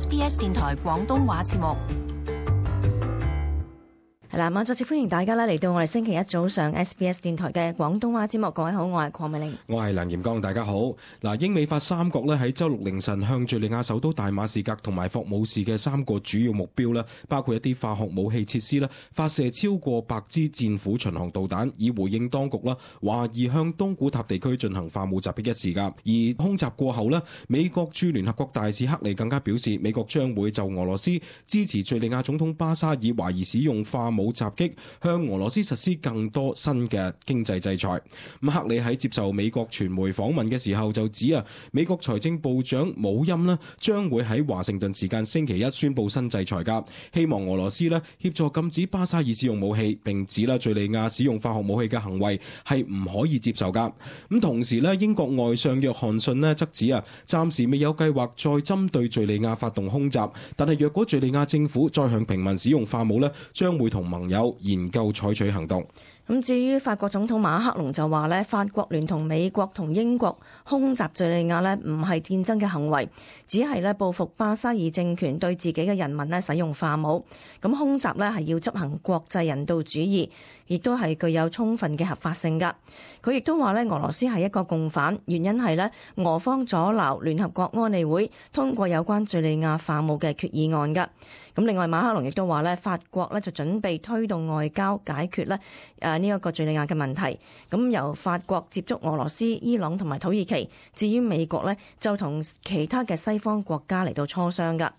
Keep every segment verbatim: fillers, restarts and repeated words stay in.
S B S 電台廣東話節目。係啦，咁再次歡迎大家咧嚟到我哋星期一早上 S B S 電台嘅廣東話節目。各位好，我係鄺美玲，我係梁炎剛，大家好。嗱，英美法三國咧喺周六凌晨向敘利亞首都大馬士革同埋霍姆士嘅三個主要目標咧，包括一啲化學武器設施咧，發射超過百支戰斧巡航導彈，以回應當局啦懷疑向東古塔地區進行化武襲擊一事噶。而空襲過後咧，美國駐聯合國大使克里更加表示，美國將會就俄羅斯支持敘利亞總統巴沙爾懷疑使用化武武襲擊向俄羅斯實施更多新嘅經濟制裁。咁克里喺接受美國傳媒訪問嘅時候就指啊，美國財政部長姆欽呢將會喺華盛頓時間星期一宣布新制裁噶，希望俄羅斯呢協助禁止巴沙爾使用武器，並指啦敘利亞使用化學武器嘅行為係唔可以接受噶。咁同時呢，英國外相約翰遜呢則指啊，暫時未有計劃再針對敘利亞發動空襲，但係若果敘利亞政府再向平民使用化武呢，將會同盟友研究採取行動。咁至於法國總統馬克龍就話咧，法國聯同美國同英國空襲敘利亞咧，唔係戰爭嘅行為，只係咧報復巴沙爾政權對自己嘅人民咧使用化武。咁空襲咧係要執行國際人道主義，亦都係具有充分嘅合法性噶。佢亦都話咧，俄羅斯係一個共犯，原因係咧俄方阻撓聯合國安理會通過有關敘利亞化武嘅決議案噶。咁另外馬克龍亦都話咧，法國咧就準備推動外交解決咧誒呢一個敘利亞嘅問題。咁由法國接觸俄羅斯、伊朗同埋土耳其，至於美國咧就同其他嘅西方國家嚟到磋商噶。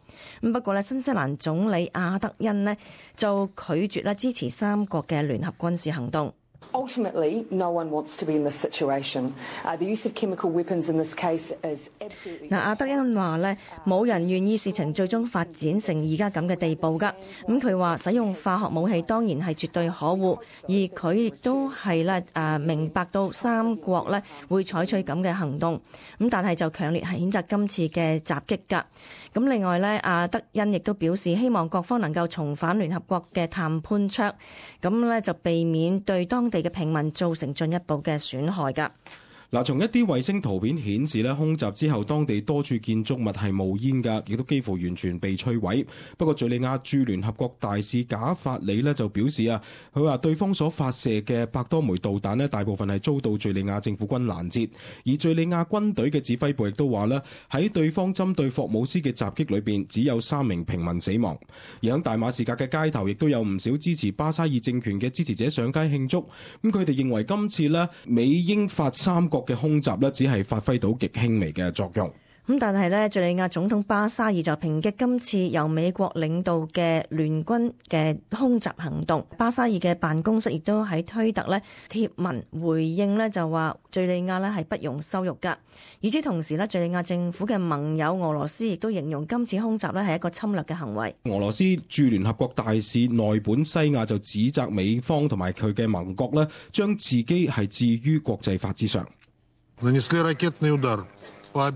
咁不過咧，新西蘭總理阿德恩呢就拒絕咧支持三國嘅聯合軍事行動。Ultimately, no one wants to be in this situation. Uh, the use of chemical weapons in this case is absolutely. 嗱，阿德恩話咧，冇人願意事情最終發展成而家咁嘅地步㗎。咁佢話使用化學武器當然係絕對可惡，而佢亦都係咧誒明白到三國咧會採取咁嘅行動。咁但係就強烈係譴責今次嘅襲擊㗎。咁另外咧，阿德恩亦都表示希望各方能夠重返聯合國嘅談判桌，咁咧就避免對當地嘅平民造成進一步嘅損害㗎。嗱，從一啲衛星圖片顯示咧，空襲之後當地多處建築物係冒煙㗎，亦都幾乎完全被摧毀。不過，敘利亞駐聯合國大使賈法里呢就表示啊，佢話對方所發射嘅百多枚導彈呢，大部分係遭到敘利亞政府軍攔截，而敘利亞軍隊嘅指揮部亦都話呢，喺對方針對霍姆斯嘅襲擊裏邊，只有三名平民死亡。而喺大馬士革嘅街頭，亦都有唔少支持巴沙爾政權嘅支持者上街慶祝。咁佢哋認為今次呢，美英法三國嘅空襲咧，只係發揮到極輕微嘅作用。咁但係咧，敘利亞總統巴沙爾就抨擊今次由美國領導嘅聯軍嘅空襲行動。巴沙爾嘅辦公室亦都喺推特咧貼文回應咧，就話敘利亞咧係不容羞辱噶。與此同時咧，敘利亞政府嘅盟友俄羅斯亦都形容今次空襲咧係一個侵略嘅行為。俄羅斯駐聯合國大使內本西亞就指責美方同埋佢嘅盟國咧，將自己係置於國際法之上。The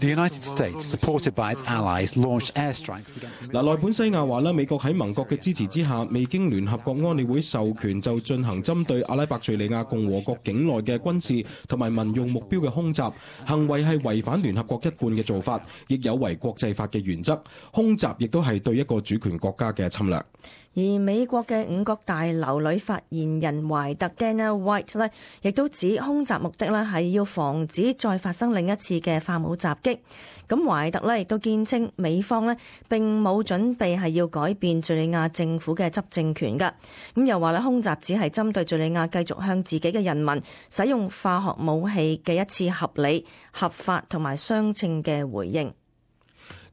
United States, supported by its allies, launched airstrikes against. 嗱，內本西亞話咧，美國喺盟國嘅支持之下，未經聯合國安理會授權就進行針對阿拉伯敘利亞共和國境內嘅軍事同埋民用目標嘅空襲，行為係違反聯合國一貫嘅做法，亦有違國際法嘅原則。空襲亦都係對一個主權國家嘅侵略。而美國嘅五角大樓女發言人懷特 Dana White 咧，亦都指空襲目的咧係要防止再發生另一次嘅化武襲擊。咁懷特咧亦都堅稱美方咧並冇準備係要改變敘利亞政府嘅執政權㗎。咁又話咧空襲只係針對敘利亞繼續向自己嘅人民使用化學武器嘅一次合理、合法同埋相稱嘅回應。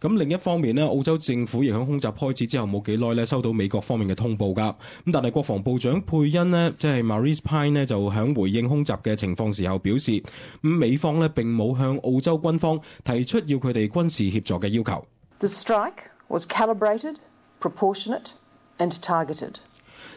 咁另一方面呢，澳洲政府亦喺空襲開始之後冇幾耐呢收到美國方面嘅通報㗎。咁但係國防部長佩恩呢，即係 Marise Payne 呢，就喺回應空襲嘅情況時候表示，咁美方呢並冇向澳洲軍方提出要佢哋軍事協助嘅要求。The strike was calibrated, proportionate, and targeted.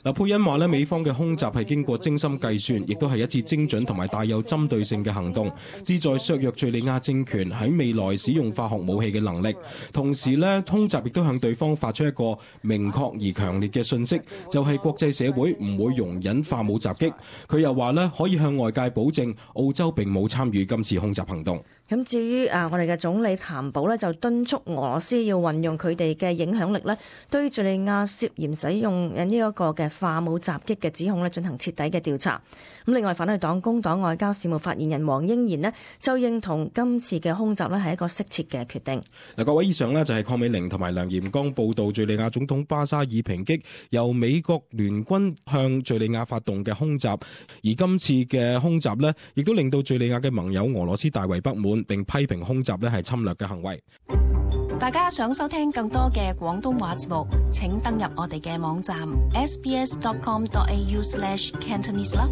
嗱，佩恩話咧，美方嘅空襲係經過精心計算，亦都係一次精準同埋帶有針對性嘅行動，旨在削弱敘利亞政權喺未來使用化學武器嘅能力。同時咧，空襲亦都向對方發出一個明確而強烈嘅訊息，就係國際社會唔會容忍化武襲擊。佢又話咧，可以向外界保證，澳洲並冇參與今次空襲行動。咁至於啊，我哋嘅總理譚寶呢，就敦促俄羅斯要運用佢哋嘅影響力呢，對敍利亞涉嫌使用呢一個嘅化武襲擊嘅指控呢進行徹底嘅調查。咁另外，反對黨工黨外交事務發言人黃英賢呢，就認同今次嘅空襲呢係一個適切嘅決定。嗱，各位以上呢，就係鄺美玲同埋梁嚴剛報道敍利亞總統巴沙爾抨擊由美國聯軍向敍利亞發動嘅空襲，而今次嘅空襲呢，亦都令到敍利亞嘅盟友俄羅斯大為不滿，並批評空襲呢係侵略嘅行為。大家想收聽更多嘅廣東話節目，請登入我哋嘅網站 s b s dot com dot a u slash cantonese 啦。